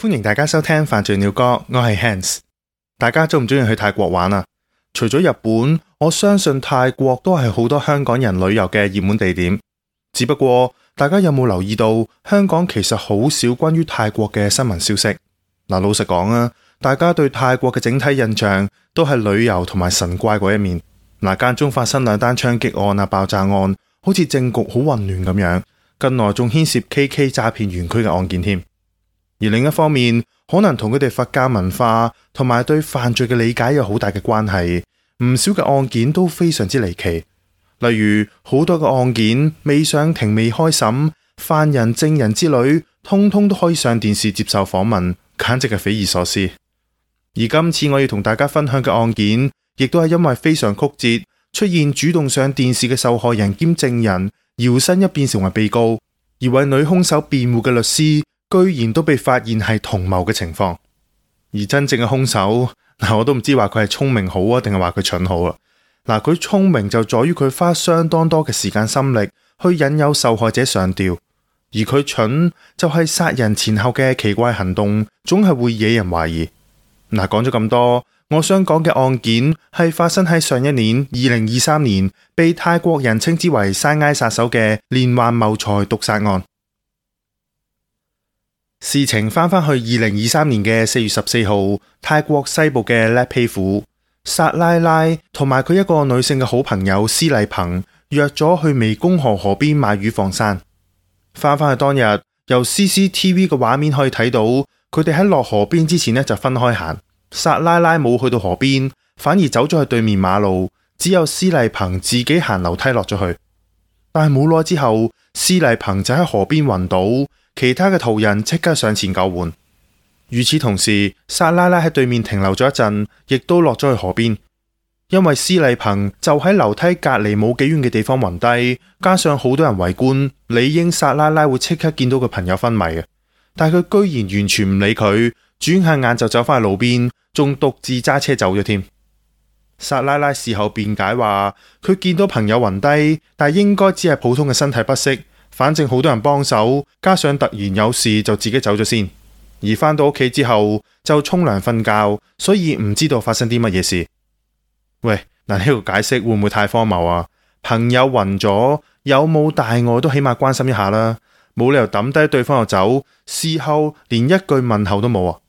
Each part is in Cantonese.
歡迎大家收聽犯罪鳥歌，我係 Hans。大家鍾唔鍾意去泰國玩啊？除咗日本，我相信泰國都係好多香港人旅遊嘅熱門地點。只不過大家有冇留意到，香港其實好少關於泰國嘅新聞消息。老實講啊，大家對泰國嘅整體印象都係旅遊同埋神怪嗰一面。間中發生2單槍擊案啊、爆炸案，好似政局好混亂咁樣。近來仲牽涉 KK 詐騙園區嘅案件添。而另一方面，可能同佢哋佛教文化同埋對犯罪嘅理解有好大嘅關係。唔少嘅案件都非常之離奇，例如好多嘅案件未上庭未開審，犯人證人之類，通通都可以上電視接受訪問，簡直係匪夷所思。而今次我要同大家分享嘅案件，亦都係因為非常曲折，出現主動上電視嘅受害人兼證人搖身一變成為被告，而為女兇手辯護嘅律師居然都被發現係同謀嘅情況。而真正嘅兇手，我都唔知話佢係聰明好啊，定係話佢蠢好啊。佢聰明就在於佢花相當多嘅時間心力去引誘受害者上吊，而佢蠢就係殺人前後嘅奇怪行動，總係會惹人懷疑。講咗咁多，我想講嘅案件係發生喺上一年2023年，被泰國人稱之為山埃殺手嘅連環謀財毒殺案。事情翻返去2023年嘅4月14號，泰國西部嘅叻皮府，薩拉拉同埋佢一個女性嘅好朋友施麗鵬約咗去湄公河河邊買魚放生。翻返去當日，由 CCTV 嘅畫面可以睇到，佢哋喺落河邊之前就分開行。薩拉拉冇去到河邊，反而走咗去對面馬路，只有施麗鵬自己行樓梯落咗去。但係冇耐之後，施麗鵬就喺河邊暈倒。其他嘅途人即刻上前救援。與此同時，薩拉拉喺對面停留咗一陣，亦都落咗去河邊。因為施麗鵬就喺樓梯隔籬冇幾遠嘅地方暈低，加上好多人圍觀，理應薩拉拉會即刻見到佢朋友昏迷嘅。但係佢居然完全唔理佢，轉下眼就走返去路邊，仲獨自揸車走咗添。薩拉拉事後辯解話，佢見到朋友暈低，但係應該只係普通嘅身體不適。反正好多人幫手，加上突然有事就自己走咗先，而返到屋企之後就沖涼瞓覺，所以唔知道發生啲乜嘢事。喂，呢個解釋會唔會太荒謬啊？朋友暈咗，有冇大礙都起碼關心一下啦，冇理由抌低對方就走，事後連一句問候都冇啊！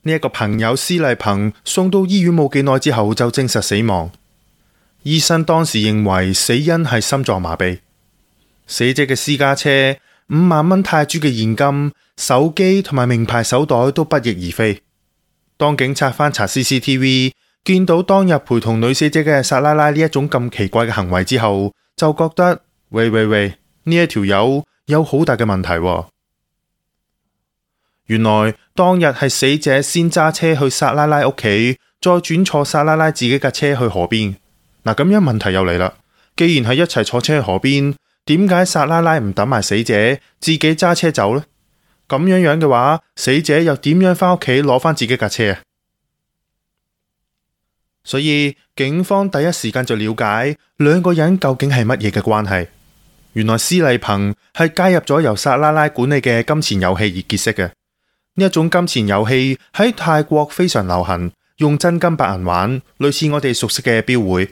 呢一個朋友施麗鵬送到醫院冇幾耐之後就證實死亡，醫生當時認為死因係心臟麻痹。死者嘅私家車、5萬蚊泰銖嘅現金、手機同埋名牌手袋都不翼而飛。當警察翻查 CCTV， 見到當日陪同女死者嘅薩拉拉呢一種咁奇怪嘅行為之後，就覺得喂，呢一條友有好大嘅問題喎。原來當日係死者先揸車去薩拉拉屋企，再轉坐薩拉拉自己架車去河邊。咁樣問題又嚟啦，既然係一齊坐車去河邊，點解薩拉拉唔等埋死者，自己揸車走呢？咁樣嘅話，死者又點樣返屋企攞返自己架車啊？所以警方第一時間就了解兩個人究竟係乜嘢嘅關係。原來施麗鵬係加入咗由薩拉拉管理嘅金錢遊戲而結識嘅。呢一種金錢遊戲喺泰國非常流行，用真金白銀玩，類似我哋熟悉嘅標會。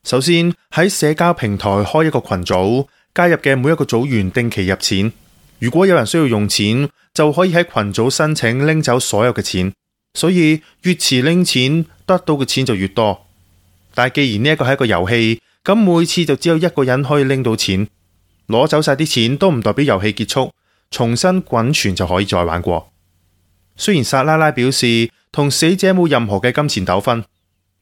首先喺社交平台開一個群組，加入嘅每一個組員定期入錢，如果有人需要用錢，就可以喺群組申請拎走所有嘅錢，所以越遲拎錢，得到嘅錢就越多。但係既然呢一個係一個遊戲，咁每次就只有一個人可以拎到錢，攞走晒啲錢都唔代表遊戲結束，重新滾存就可以再玩過。雖然薩拉拉表示同死者冇任何嘅金錢糾紛，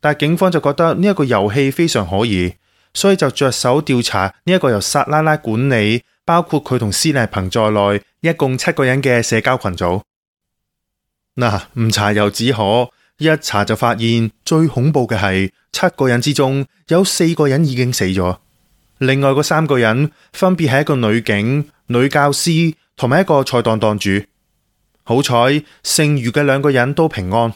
但係警方就覺得呢一個遊戲非常可疑，所以就着手調查呢一個由薩拉拉管理，包括佢同施麗鵬在內，一共7個人嘅社交群組。唔查又只可，一查就發現最恐怖嘅係7個人之中有4個人已經死咗，另外嗰3個人分別係一個女警、女教師同埋一個菜檔檔主。好彩剩餘嘅2個人都平安，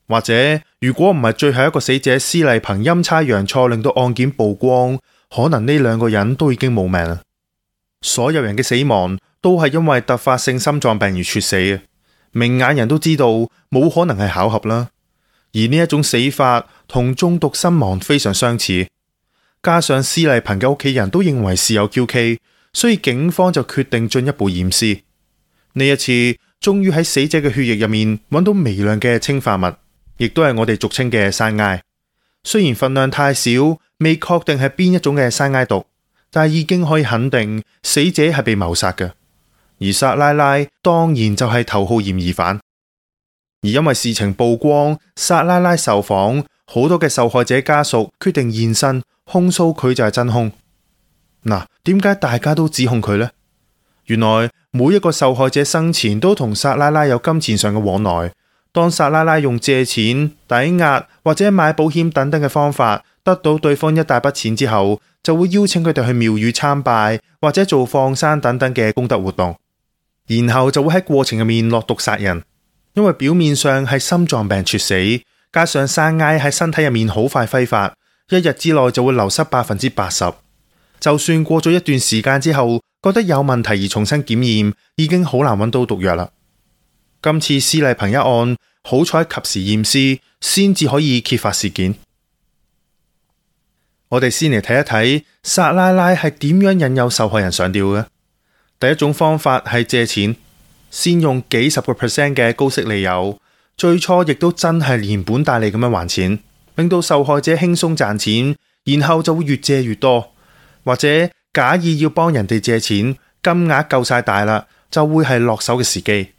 或者如果唔係最後一個死者施麗鵬陰差陽錯令到案件曝光，可能呢2個人都已經冇命。所有人嘅死亡都係因為突發性心臟病而猝死嘅，明眼人都知道冇可能係巧合啦。而呢一種死法同中毒身亡非常相似，加上施麗鵬嘅屋企人都認為事有蹊蹺，所以警方就決定進一步驗屍。呢一次終於喺死者嘅血液入面揾到微量嘅氰化物，亦都係我哋俗稱嘅山埃。雖然份量太少，未確定係邊一種嘅山埃毒，但係已經可以肯定死者係被謀殺嘅。而薩拉拉當然就係頭號嫌疑犯。而因為事情曝光，薩拉拉受訪，好多嘅受害者家屬決定現身控訴佢就係真兇。嗱，點解大家都指控佢呢？原來每一個受害者生前都同薩拉拉有金錢上嘅往來。當薩拉拉用借錢、抵押或者買保險等等嘅方法得到對方一大筆錢之後，就會邀請佢哋去廟宇參拜或者做放生等等嘅功德活動，然後就會喺過程入面落毒殺人。因為表面上係心臟病猝死，加上山埃喺身體入面好快揮發，一日之內就會流失80%。就算過咗一段時間之後，覺得有問題而重新檢驗，已經好難揾到毒藥啦。今次施麗鵬一案，好彩及時驗屍，先至可以揭發事件。我哋先嚟睇一睇薩拉拉係點樣引誘受害人上吊嘅。第一種方法係借錢。先用幾十個%嘅高息利誘，最初亦都真係連本帶利咁樣還錢，令到受害者輕鬆賺錢，然後就會越借越多，或者假意要幫人哋借錢，金額夠晒大啦，就會係落手嘅時機。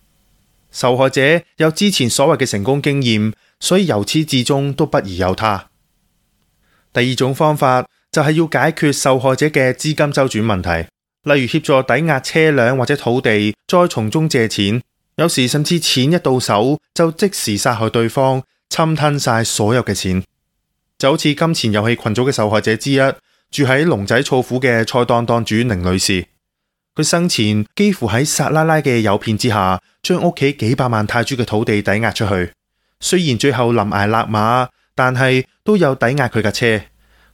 受害者有之前所謂嘅成功經驗，所以由始至終都不疑有他。第二種方法就係要解決受害者嘅資金周轉問題。例如協助抵押車輛或者土地，再從中借錢，有時甚至錢一到手就即時殺害對方，侵吞晒所有嘅錢。就好似金錢遊戲群組嘅受害者之一，住喺龍仔錯府嘅菜檔檔主寧女士，佢生前幾乎喺薩拉拉嘅誘騙之下，將屋企幾百萬泰銖嘅土地抵押出去。雖然最後臨崖勒馬，但係都有抵押佢架車。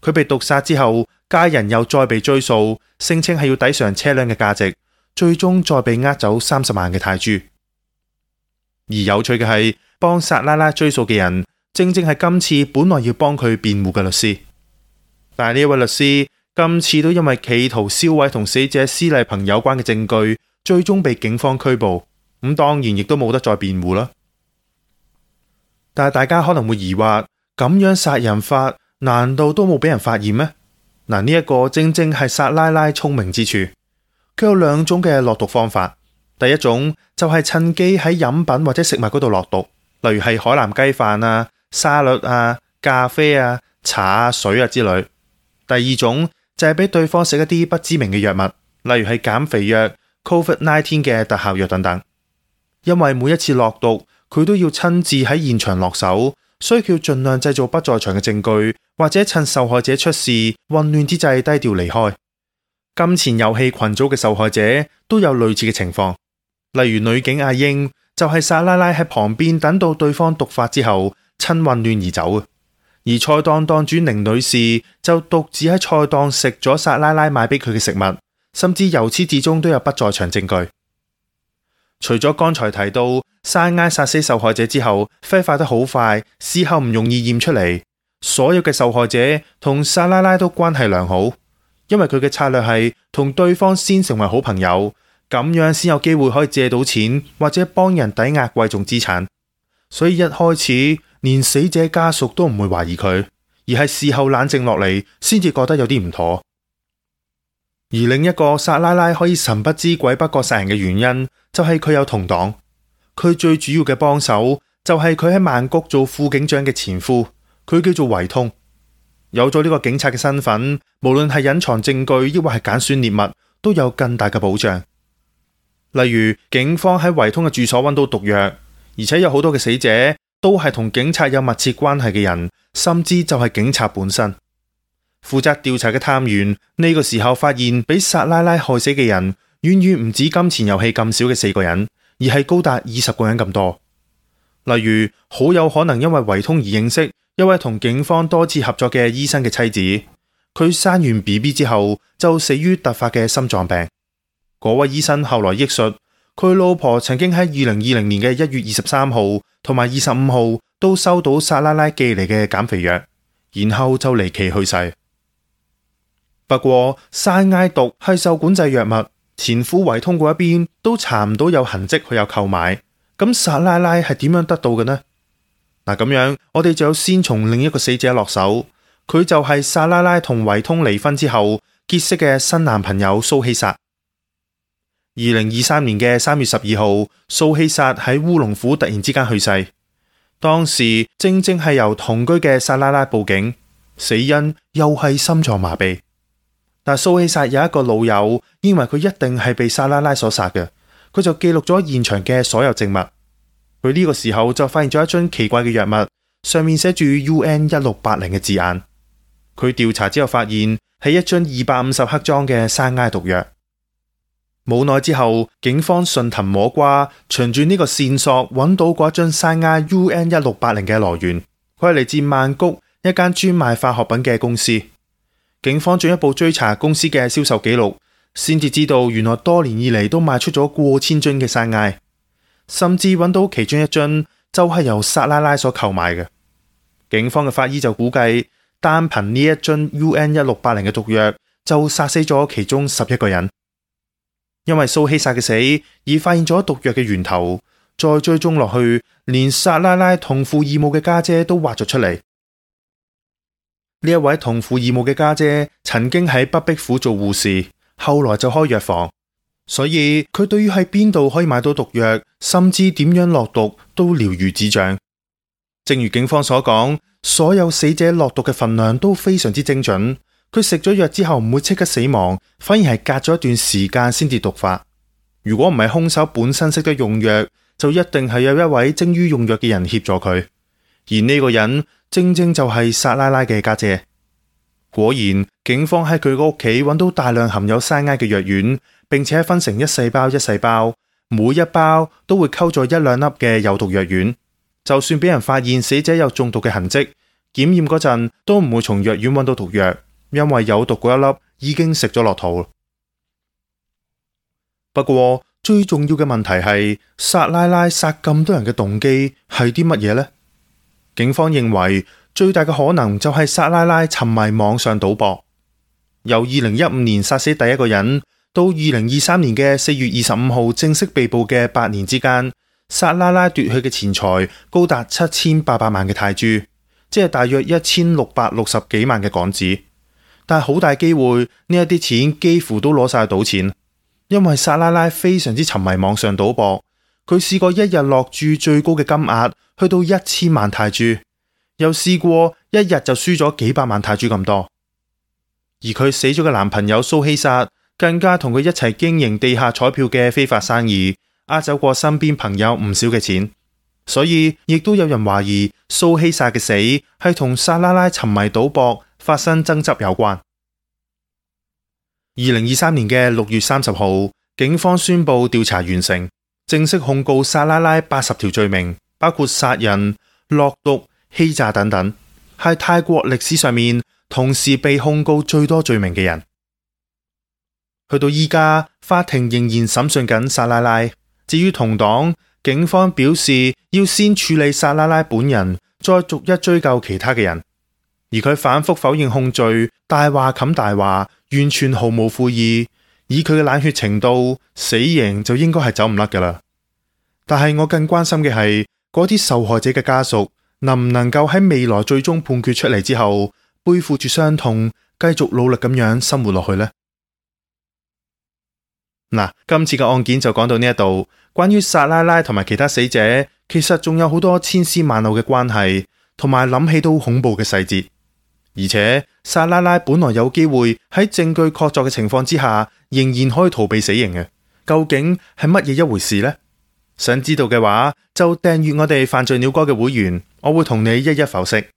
佢被毒殺之後，家人又再被追訴，聲稱係要抵償車輛嘅價值，最終再被呃走30萬嘅泰銖。而有趣嘅係，幫薩拉拉追訴嘅人，正正係今次本來要幫佢辯護嘅律師。但係呢一位律師今次都因為企圖銷毀同死者施麗鵬有關嘅證據，最終被警方拘捕。咁當然亦都冇得再辯護啦。但係大家可能會疑惑，咁樣殺人法難道都冇俾人發現咩？嗱，呢一個正正係薩拉拉聰明之處。佢有兩種嘅落毒方法。第一種就係趁機喺飲品或者食物嗰度落毒，例如係海南雞飯啊、沙律啊、咖啡啊、茶啊、水啊之類。第二種就係俾對方食一啲不知名嘅藥物，例如係減肥藥、COVID-19 嘅特效藥等等。因為每一次落毒，佢都要親自喺現場落手，所以佢要盡量製造不在場嘅證據，或者趁受害者出事混亂之際低調離開。金錢遊戲群組嘅受害者都有類似嘅情況，例如女警阿英就係薩拉拉喺旁邊等到對方毒發之後，趁混亂而走。而菜檔檔主寧女士就獨自喺菜檔食咗薩拉拉買俾佢嘅食物，甚至由始至終都有不在場證據。除咗剛才提到山埃殺死受害者之後揮發得好快，事後唔容易驗出嚟，所有嘅受害者同薩拉拉都關係良好，因為佢嘅策略係同對方先成為好朋友，咁樣先有機會可以借到錢或者幫人抵押貴重資產。所以一開始連死者家屬都唔會懷疑佢，而係事後冷靜落嚟先至覺得有啲唔妥。而另一個薩拉拉可以神不知鬼不覺殺人嘅原因，就係佢有同黨。佢最主要嘅幫手就係佢喺曼谷做副警長嘅前夫，佢叫做維通。有咗呢個警察嘅身份，無論係隱藏證據抑或係揀選獵物，都有更大嘅保障。例如警方喺維通嘅住所揾到毒藥，而且有好多嘅死者都係同警察有密切關係嘅人，甚至就係警察本身。負責調查嘅探員呢個時候發現，俾薩拉拉害死嘅人遠遠唔止金錢遊戲咁少嘅4個人，而係高達20個人咁多。例如好有可能因為維通而認識一位同警方多次合作嘅醫生嘅妻子，佢生完 BB 之後就死於突發嘅心臟病。嗰位醫生後來憶述，佢老婆曾經喺2020年嘅1月23號同埋25號都收到薩拉拉寄嚟嘅減肥藥，然後就離奇去世。不過山埃毒係受管制藥物，前夫維通嗰一邊都查唔到有痕跡佢有購買，咁薩拉拉係點樣得到嘅呢？嗱，咁樣我哋就要先從另一個死者落手，佢就係薩拉拉同維通離婚之後結識嘅新男朋友蘇希薩。2023年嘅3月12號，蘇希薩喺烏龍府突然之間去世，當時正係由同居嘅薩拉拉報警，死因又係心臟麻痹。但蘇希薩有一個老友認為佢一定係被薩拉拉所殺嘅，佢就記錄咗現場嘅所有證物。佢呢個時候就發現咗一樽奇怪嘅藥物，上面寫住 UN1680 嘅字眼。佢調查之後發現係一樽250克裝嘅山埃毒藥。冇耐之後，警方順藤摸瓜，循住呢個線索揾到嗰樽山埃 UN1680 嘅來源，佢係嚟自曼谷一間專賣化學品嘅公司。警方進一步追查公司嘅銷售記錄，先至知道原來多年以嚟都賣出咗過千樽嘅山埃，甚至揾到其中一樽就係由薩拉拉所購買嘅。警方嘅法醫就估計，單憑呢一樽 UN1680 嘅毒藥就殺死咗其中11個人。因為蘇希薩嘅死而發現咗毒藥嘅源頭，再追蹤落去，連薩拉拉同父異母嘅家姐都挖咗出嚟。呢一位同父異母嘅家姐曾經喺北壁府做護士，後來就開藥房，所以佢對於喺邊度可以買到毒藥，甚至點樣落毒都了如指掌。正如警方所講，所有死者落毒嘅份量都非常之精準。佢食咗藥之後唔會即刻死亡，反而係隔咗一段時間先至毒發。如果唔係兇手本身識得用藥，就一定係有一位精於用藥嘅人協助佢。而呢個人正就係薩拉拉嘅家姐。果然，警方喺佢個屋企揾到大量含有山埃嘅藥丸，並且分成一細包一細包，每一包都會溝咗1-2粒嘅有毒藥丸。就算俾人發現死者有中毒嘅痕跡，檢驗嗰陣都唔會從藥丸揾到毒藥。因為有毒嗰一粒已經食咗落肚。不過最重要嘅問題係，薩拉拉殺咁多人嘅動機係啲乜嘢呢？警方認為最大嘅可能就係薩拉拉沉迷網上賭博。由2015年殺死第一個人到2023年嘅4月25號正式被捕嘅8年之間，薩拉拉奪去嘅錢財高達7800萬嘅泰銖，即係大約1660幾萬嘅港紙。但係好大機會呢一啲錢幾乎都攞晒去賭錢，因為薩拉拉非常之沉迷網上賭博，佢試過一日落注最高嘅金額去到1000萬泰銖，又試過一日就輸咗幾百萬泰銖咁多。而佢死咗嘅男朋友蘇希薩更加同佢一齊經營地下彩票嘅非法生意，呃走過身邊朋友唔少嘅錢，所以亦都有人懷疑蘇希薩嘅死係同薩拉拉沉迷賭博發生爭執有關。2023年嘅6月30號，警方宣布調查完成，正式控告薩拉拉80條罪名，包括殺人、落毒、欺詐等等，係泰國歷史上面同時被控告最多罪名嘅人。去到依家，法庭仍然審訊緊薩拉拉。至於同黨，警方表示要先處理薩拉拉本人，再逐一追究其他嘅人。而佢反覆否認控罪，大話冚大話，完全毫無悔意。以佢嘅冷血程度，死刑就應該係走唔甩噶啦。但係我更關心嘅係嗰啲受害者嘅家屬，能唔能夠喺未來最終判決出嚟之後，背負住傷痛，繼續努力咁樣生活落去呢？嗱，今次嘅案件就講到呢一度。關於薩拉拉同埋其他死者，其實仲有好多千絲萬縷嘅關係，同埋諗起都恐怖嘅細節。而且薩拉拉本來有機會喺證據確鑿嘅情況之下，仍然可以逃避死刑嘅。究竟係乜嘢一回事呢？想知道嘅話，就訂閱我哋犯罪鳥歌嘅會員，我會同你一一剖析。